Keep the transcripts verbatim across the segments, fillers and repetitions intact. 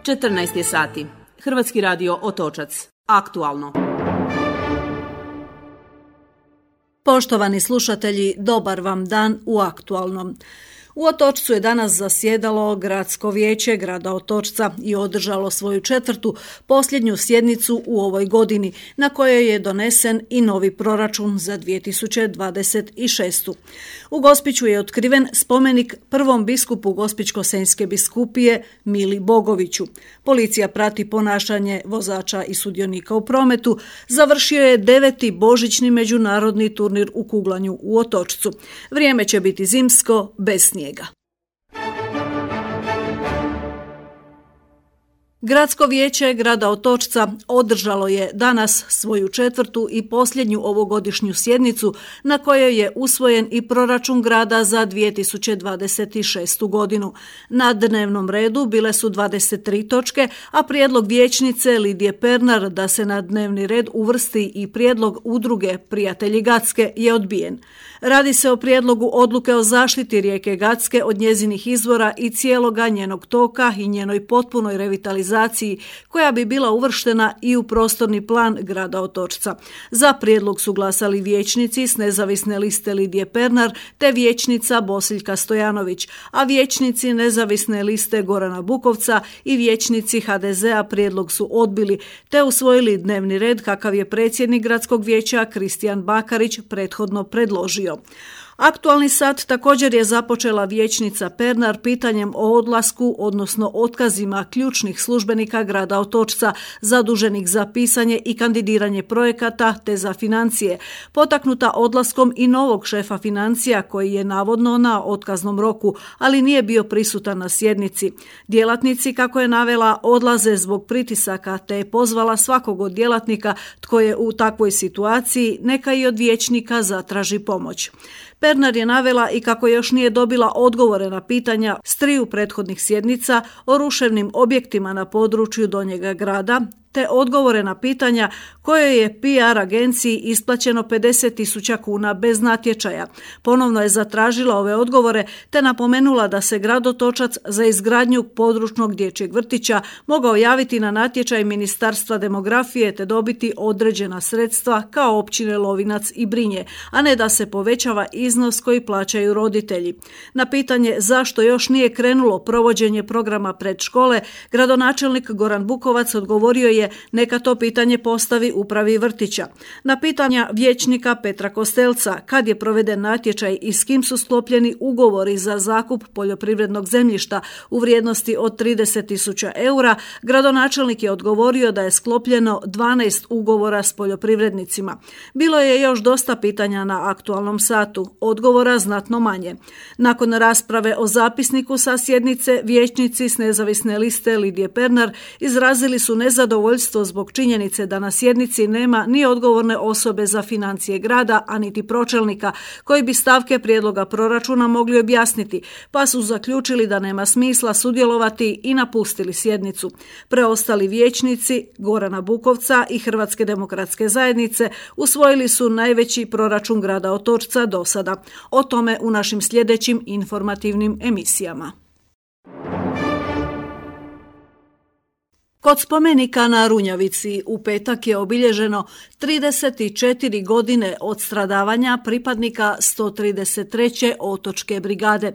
četrnaest je sati. Hrvatski radio Otočac. Aktualno. Poštovani slušatelji, dobar vam dan u Aktualnom. U Otočcu je danas zasjedalo Gradsko vijeće grada Otočca i održalo svoju četvrtu, posljednju sjednicu u ovoj godini, na kojoj je donesen i novi proračun za dvije tisuće dvadeset šestu. U Gospiću je otkriven spomenik prvom biskupu Gospićko-senjske biskupije Mili Bogoviću. Policija prati ponašanje vozača i sudionika u prometu. Završio je deveti božićni međunarodni turnir u kuglanju u Otočcu. Vrijeme će biti zimsko, bez snijega. Gradsko vijeće grada Otočca održalo je danas svoju četvrtu i posljednju ovogodišnju sjednicu na kojoj je usvojen i proračun grada za dvije tisuće dvadeset šestu godinu. Na dnevnom redu bile su dvadeset tri točke, a prijedlog vijećnice Lidije Pernar da se na dnevni red uvrsti i prijedlog udruge Prijatelji Gacke je odbijen. Radi se o prijedlogu odluke o zaštiti rijeke Gacke od njezinih izvora i cijeloga njenog toka i njenoj potpunoj revitalizaciji koja bi bila uvrštena i u prostorni plan grada Otočca. Za prijedlog su glasali vijećnici s nezavisne liste Lidije Pernar te vijećnica Bosiljka Stojanović, a vijećnici nezavisne liste Gorana Bukovca i vijećnici ha de zea prijedlog su odbili te usvojili dnevni red kakav je predsjednik gradskog vijeća Kristijan Bakarić prethodno predložio. Aktualni sat također je započela vijećnica Pernar pitanjem o odlasku, odnosno otkazima ključnih službenika grada Otočca, zaduženih za pisanje i kandidiranje projekata te za financije, potaknuta odlaskom i novog šefa financija koji je navodno na otkaznom roku, ali nije bio prisutan na sjednici. Djelatnici, kako je navela, odlaze zbog pritisaka te je pozvala svakog od djelatnika tko je u takvoj situaciji neka i od vijećnika zatraži pomoć. Pernar je navela i kako još nije dobila odgovore na pitanja s triju prethodnih sjednica o ruševnim objektima na području Donjega grada, te odgovore na pitanja koje je pe er agenciji isplaćeno pedeset tisuća kuna bez natječaja. Ponovno je zatražila ove odgovore te napomenula da se grad Otočac za izgradnju područnog dječjeg vrtića mogao javiti na natječaj Ministarstva demografije te dobiti određena sredstva kao općine Lovinac i Brinje, a ne da se povećava iznos koji plaćaju roditelji. Na pitanje zašto još nije krenulo provođenje programa predškole, gradonačelnik Goran Bukovac odgovorio je neka to pitanje postavi upravi vrtića. Na pitanja vijećnika Petra Kostelca kad je proveden natječaj i s kim su sklopljeni ugovori za zakup poljoprivrednog zemljišta u vrijednosti od trideset tisuća eura, gradonačelnik je odgovorio da je sklopljeno dvanaest ugovora s poljoprivrednicima. Bilo je još dosta pitanja na aktualnom satu, odgovora znatno manje. Nakon rasprave o zapisniku sa sjednice, vijećnici s nezavisne liste Lidije Pernar izrazili su nezadovoljstvo zbog činjenice da na sjednici nema ni odgovorne osobe za financije grada, a niti pročelnika koji bi stavke prijedloga proračuna mogli objasniti, pa su zaključili da nema smisla sudjelovati i napustili sjednicu. Preostali vijećnici Gorana Bukovca i Hrvatske demokratske zajednice usvojili su najveći proračun grada Otočca do sada. O tome u našim sljedećim informativnim emisijama. Kod spomenika na Runjavici u petak je obilježeno trideset četiri godine od stradavanja pripadnika sto trideset treće otočke brigade.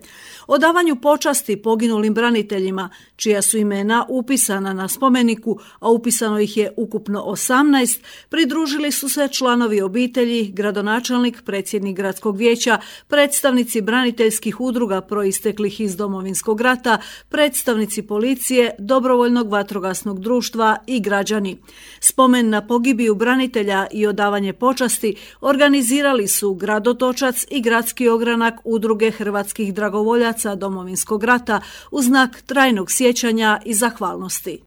Odavanju počasti poginulim braniteljima, čija su imena upisana na spomeniku, a upisano ih je ukupno osamnaest, pridružili su se članovi obitelji, gradonačelnik, predsjednik gradskog vijeća, predstavnici braniteljskih udruga proisteklih iz Domovinskog rata, predstavnici policije, dobrovoljnog vatrogasnog društva i građani. Spomen na pogibiju branitelja i odavanje počasti organizirali su grad Otočac i gradski ogranak udruge hrvatskih dragovoljaca Domovinskog rata u znak trajnog sjećanja i zahvalnosti.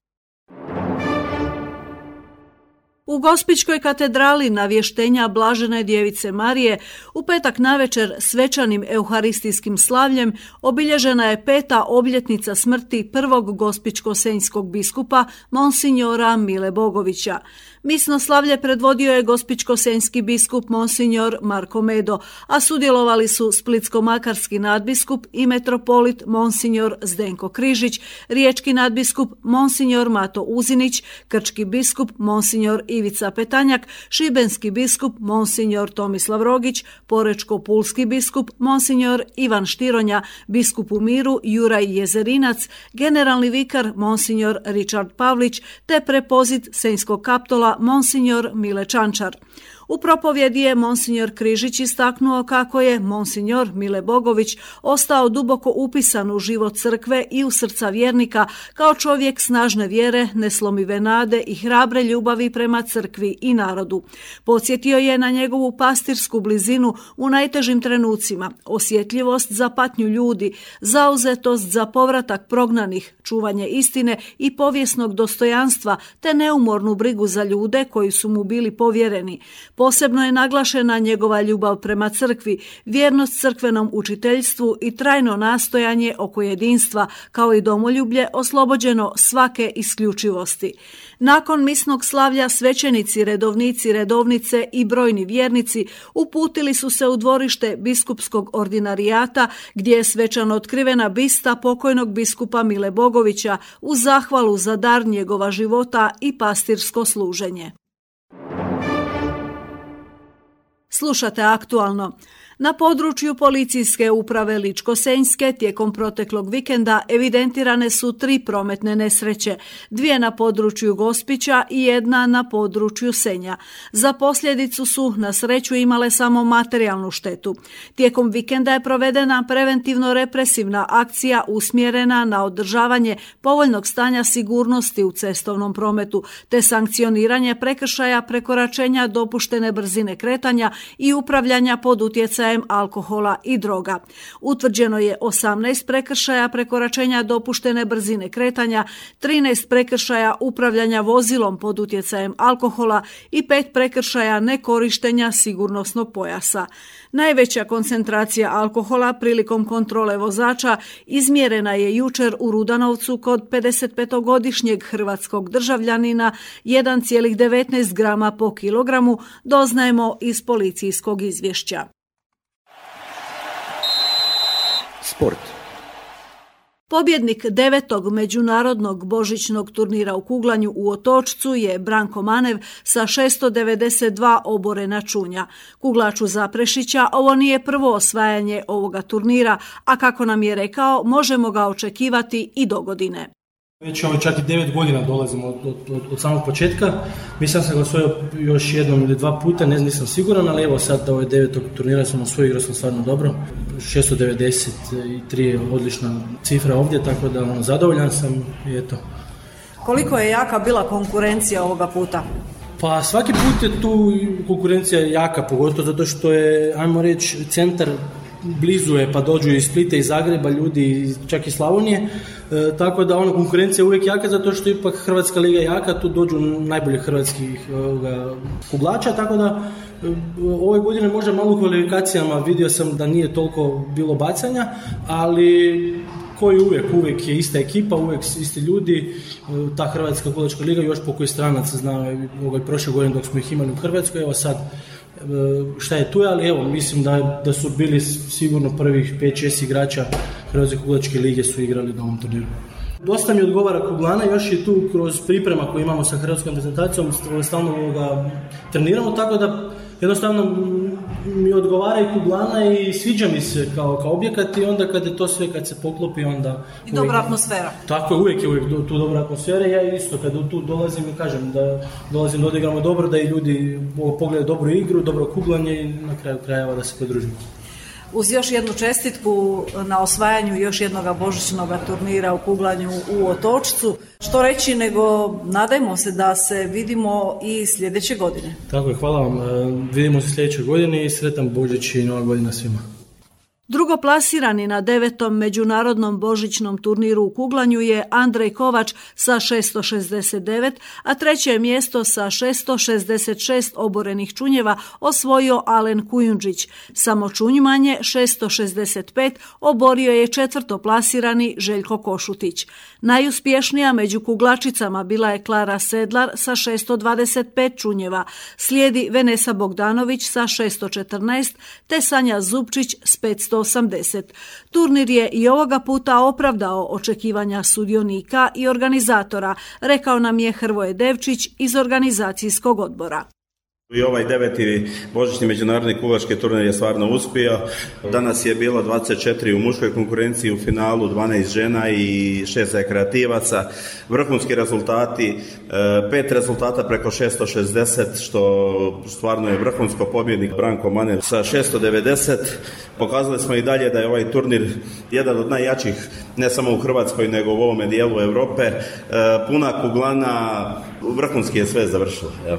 U Gospićkoj katedrali navještenja Blažene djevice Marije u petak navečer svečanim euharistijskim slavljem obilježena je peta obljetnica smrti prvog gospićko-senjskog biskupa monsinjora Mile Bogovića. Misno slavlje predvodio je gospićko-senjski biskup monsinjor Marko Medo, a sudjelovali su splitsko-makarski nadbiskup i metropolit monsinjor Zdenko Križić, riječki nadbiskup monsinjor Mato Uzinić, krčki biskup monsinjor Ivica Petanjak, šibenski biskup monsinjor Tomislav Rogić, porečko-pulski biskup monsinjor Ivan Štironja, biskup u Miru Juraj Jezerinac, generalni vikar monsinjor Richard Pavlić te prepozit senjskog kaptola monsinjor Mile Čančar. U propovjedi je monsinjor Križić istaknuo kako je monsinjor Mile Bogović ostao duboko upisan u život crkve i u srca vjernika kao čovjek snažne vjere, neslomive nade i hrabre ljubavi prema crkvi i narodu. Podsjetio je na njegovu pastirsku blizinu u najtežim trenucima, osjetljivost za patnju ljudi, zauzetost za povratak prognanih, čuvanje istine i povijesnog dostojanstva te neumornu brigu za ljude koji su mu bili povjereni. Posebno je naglašena njegova ljubav prema crkvi, vjernost crkvenom učiteljstvu i trajno nastojanje oko jedinstva, kao i domoljublje oslobođeno svake isključivosti. Nakon misnog slavlja svećenici, redovnici, redovnice i brojni vjernici uputili su se u dvorište biskupskog ordinarijata gdje je svečano otkrivena bista pokojnog biskupa Mile Bogovića u zahvalu za dar njegova života i pastirsko služenje. Slušate aktualno. Na području policijske uprave Ličko-senjske tijekom proteklog vikenda evidentirane su tri prometne nesreće, dvije na području Gospića i jedna na području Senja. Za posljedicu su na sreću imale samo materijalnu štetu. Tijekom vikenda je provedena preventivno-represivna akcija usmjerena na održavanje povoljnog stanja sigurnosti u cestovnom prometu, te sankcioniranje prekršaja prekoračenja dopuštene brzine kretanja i upravljanja pod utjecajem alkohola i droga. Utvrđeno je osamnaest prekršaja prekoračenja dopuštene brzine kretanja, trinaest prekršaja upravljanja vozilom pod utjecajem alkohola i pet prekršaja nekorištenja sigurnosnog pojasa. Najveća koncentracija alkohola prilikom kontrole vozača izmjerena je jučer u Rudanovcu kod pedesetpetogodišnjeg hrvatskog državljanina jedan zarez devetnaest grama po kilogramu, doznajemo iz policijskog izvješća. Sport. Pobjednik devetog međunarodnog božićnog turnira u kuglanju u Otočcu je Branko Manev sa šesto devedeset dva oborena čunja. Kuglaču Zaprešića ovo nije prvo osvajanje ovoga turnira, a kako nam je rekao, možemo ga očekivati i do godine. Već ovo čak i devet godina dolazimo od, od, od, od samog početka. Mislim sam ga osvojio još jednom ili dva puta, ne nisam siguran, ali evo sad ovo je devetog turnira sam osvojio, igrao sam stvarno dobro. šesto devedeset tri je odlična cifra ovdje, tako da ono, zadovoljan sam i eto. Koliko je jaka bila konkurencija ovoga puta? Pa svaki put je tu konkurencija jaka, pogotovo zato što je, ajmo reći, centar blizu je, pa dođu iz Splita, iz Zagreba, ljudi čak i Slavonije, e, tako da ono, konkurencija je uvijek jaka zato što ipak Hrvatska liga je jaka, tu dođu najbolji hrvatskih ovoga, kuglača, tako da e, ove godine možda malo u kvalifikacijama vidio sam da nije toliko bilo bacanja, ali koji uvijek, uvijek je ista ekipa, uvijek isti ljudi, e, ta Hrvatska kuglačka liga još po koji stranaca zna ovaj, prošle godine dok smo ih imali u Hrvatskoj, evo sad šta je tu, ali evo, mislim da, da su bili sigurno prvih pet šest igrača Hrvatske kuglačke lige su igrali na ovom turniru. Dosta mi odgovara kuglana, još i tu kroz priprema koju imamo sa hrvatskom reprezentacijom, stalno ga treniramo, tako da jednostavno mi odgovara i kuglana i sviđa mi se kao, kao objekat i onda kad je to sve, kad se poklopi, onda... I dobra uvijek, atmosfera. Tako je, uvijek je uvijek tu dobra atmosfera. Ja isto kad tu dolazim i kažem da dolazim da odigramo dobro, da i ljudi pogledaju dobru igru, dobro kuglanje i na kraju krajeva da se podružimo. Uz još jednu čestitku na osvajanju još jednog božićnog turnira u kuglanju u Otočcu, što reći nego nadajmo se da se vidimo i sljedeće godine. Tako je, hvala vam. Vidimo se sljedeće godine i sretan Božić i Nova godina svima. Drugoplasirani na devetom međunarodnom božićnom turniru u kuglanju je Andrej Kovač sa šesto šezdeset devet, a treće mjesto sa šesto šezdeset šest oborenih čunjeva osvojio Alen Kujundžić. Samo čunj manje, šesto šezdeset pet, oborio je četvrtoplasirani Željko Košutić. Najuspješnija među kuglačicama bila je Klara Sedlar sa šesto dvadeset pet čunjeva, slijedi Venesa Bogdanović sa šesto četrnaest te Sanja Zupčić s petsto osamdeset. Turnir je i ovoga puta opravdao očekivanja sudionika i organizatora, rekao nam je Hrvoje Devčić iz organizacijskog odbora. I ovaj deveti božićni međunarodni kuglački turnir je stvarno uspio. Danas je bilo dvadeset četiri u muškoj konkurenciji, u finalu dvanaest žena i šest rekreativaca. Vrhunski rezultati, pet rezultata preko šesto šezdeset, što stvarno je vrhunsko, pobjednik Branko Maner sa šesto devedeset. Pokazali smo i dalje da je ovaj turnir jedan od najjačih, ne samo u Hrvatskoj, nego u ovome dijelu Europe. Puna kuglana, vrhunski je sve završilo. Evo.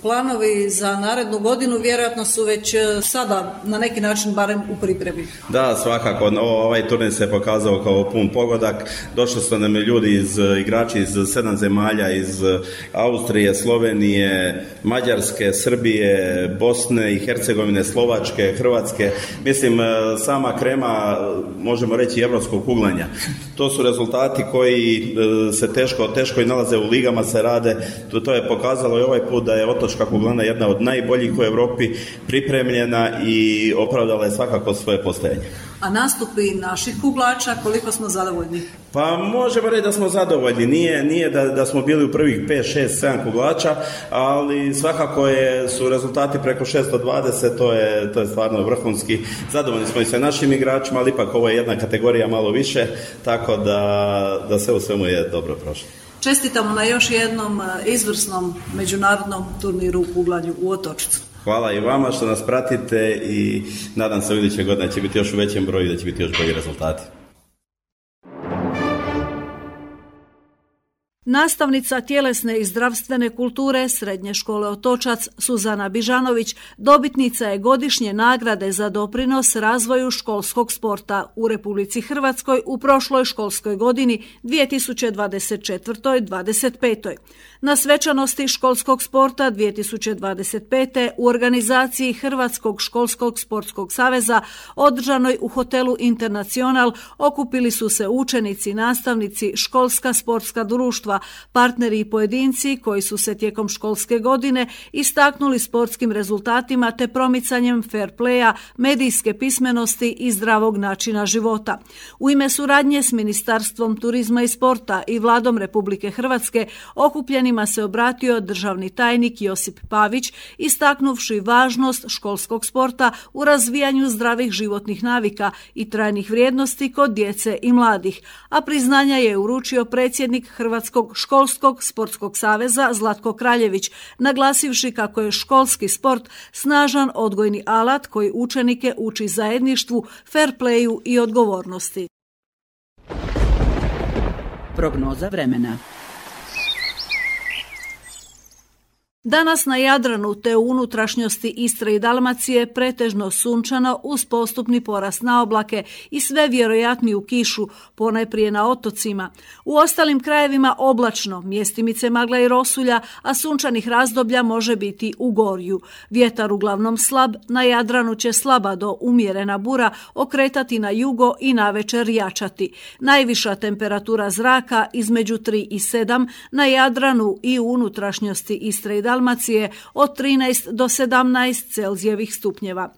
Planovi za narednu godinu vjerojatno su već sada na neki način barem u pripremi. Da, svakako. Ovaj turnir se pokazao kao pun pogodak. Došli su nam ljudi, iz, igrači iz sedam zemalja, iz Austrije, Slovenije, Mađarske, Srbije, Bosne i Hercegovine, Slovačke, Hrvatske. Mislim, sama krema, možemo reći, evropskog kuglanja. To su rezultati koji se teško, teško i nalaze u ligama, se rade. To, to je pokazalo i ovaj put da je otočka kuglana jedna od najboljih u Europi, pripremljena i opravdala je svakako svoje postojanje. A nastupi naših kuglača, koliko smo zadovoljni? Pa možemo reći da smo zadovoljni. Nije, nije da, da smo bili u prvih pet, šest, sedam kuglača, ali svakako je, su rezultati preko šesto dvadeset, to je, to je stvarno vrhunski. Zadovoljni smo i sa našim igračima, ali ipak ovo je jedna kategorija malo više, tako da, da sve u svemu je dobro prošlo. Čestitamo na još jednom izvrsnom međunarodnom turniru u kuglanju u Otočcu. Hvala i vama što nas pratite i nadam se u iduće godine će biti još u većem broju i da će biti još bolji rezultati. Nastavnica tjelesne i zdravstvene kulture Srednje škole Otočac Suzana Bižanović dobitnica je godišnje nagrade za doprinos razvoju školskog sporta u Republici Hrvatskoj u prošloj školskoj godini dvije tisuće dvadeset četvrtoj dvadeset petoj. Na svečanosti školskog sporta dvije tisuće dvadeset pete u organizaciji Hrvatskog školskog sportskog saveza održanoj u hotelu Internacional okupili su se učenici, nastavnici, školska sportska društva, partneri i pojedinci koji su se tijekom školske godine istaknuli sportskim rezultatima te promicanjem fair playa, medijske pismenosti i zdravog načina života. U ime suradnje s Ministarstvom turizma i sporta i Vladom Republike Hrvatske okupljenima se obratio državni tajnik Josip Pavić, istaknuvši važnost školskog sporta u razvijanju zdravih životnih navika i trajnih vrijednosti kod djece i mladih, a priznanja je uručio predsjednik Hrvatskog školskog sportskog saveza Zlatko Kraljević, naglasivši kako je školski sport snažan odgojni alat koji učenike uči zajedništvu, fair playu i odgovornosti. Prognoza vremena. Danas na Jadranu te u unutrašnjosti Istre i Dalmacije pretežno sunčano uz postupni porast na oblake i sve vjerojatniju kišu, ponajprije na otocima. U ostalim krajevima oblačno, mjestimice magla i rosulja, a sunčanih razdoblja može biti u gorju. Vjetar uglavnom slab, na Jadranu će slaba do umjerena bura okretati na jugo i navečer jačati. Najviša temperatura zraka između tri i sedam, na Jadranu i u unutrašnjosti Istre i Dalmacije od trinaest do sedamnaest Celzijevih stupnjeva.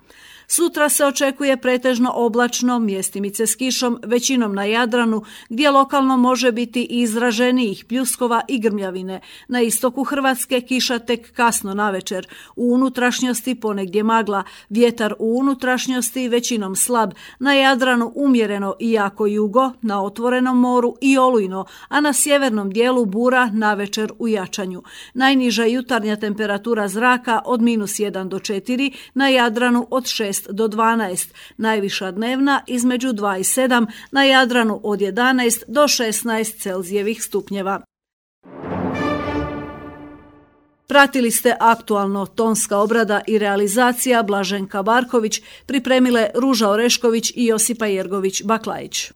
Sutra se očekuje pretežno oblačno, mjestimice s kišom, većinom na Jadranu, gdje lokalno može biti izraženijih pljuskova i grmljavine. Na istoku Hrvatske kiša tek kasno navečer. U unutrašnjosti ponegdje magla, vjetar u unutrašnjosti većinom slab, na Jadranu umjereno i jako jugo, na otvorenom moru i olujno, a na sjevernom dijelu bura navečer u jačanju. Najniža jutarnja temperatura zraka od minus jedan do četiri, na Jadranu od šest do dvanaest, najviša dnevna između dva i sedam, na Jadranu od jedanaest do šesnaest Celzijevih stupnjeva. Pratili ste aktualno, tonska obrada i realizacija Blaženka Barković, pripremile Ruža Orešković i Josipa Jergović Baklajić.